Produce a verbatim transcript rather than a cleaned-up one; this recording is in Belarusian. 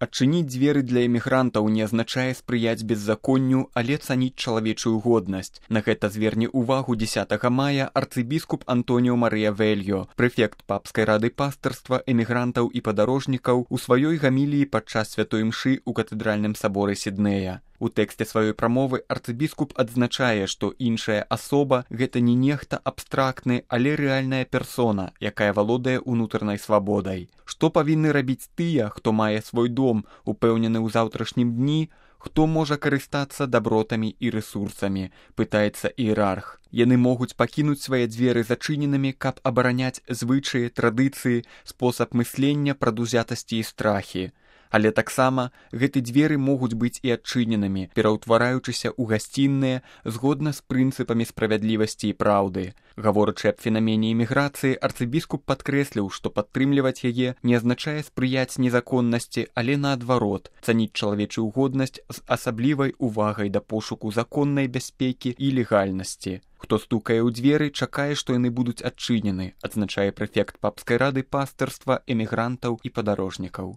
Адчыніць дзверы для эмігрантаў не азначае спрыяць беззаконню, але цаніць чалавечую годнасць. На гэта зверне ўвагу дзесятага мая арцыбіскуп Антоніо Марыя Вельё, прэфект папскай рады пастырства, эмігрантаў і падарожнікаў у сваёй гаміліі падчас святой мшы ў катэдральным саборы Сіднея. У тэксце сваёй прамовы арцыбіскуп адзначае, што іншая асоба – гэта не нехта абстрактны, але рэальная персона, якая валодае ўнутранай свабодай. Што павінны рабіць тыя, хто мае свой дом, упэўнены ў заўтрашнім дні, хто можа карыстацца дабротамі і рэсурсамі, пытаецца іерарх. Яны могуць пакінуць свае дзверы зачыненымі, каб абараняць звычаі, традыцыі, спосаб мыслення, прадузятасці і страхі. Але таксама гэты дзверы могуць быць і адчыненымі, пераўтвараючыся ў гасцінныя згодна з прынцыпамі справядлівасці і праўды. Гаворачы аб фенамене іміграцыі, арцыбіскуп падкрэсліў, што падтрымліваць яе не азначае спрыяць незаконнасці, але наадварот, цаніць чалавечую годнасць з асаблівай увагай да пошуку законнай бяспекі і легальнасці. Хто стукае ў дзверы, чакае, што яны будуць адчынены, адзначае прэфект папскай рады пастырства, эмігрантаў і падарожнікаў.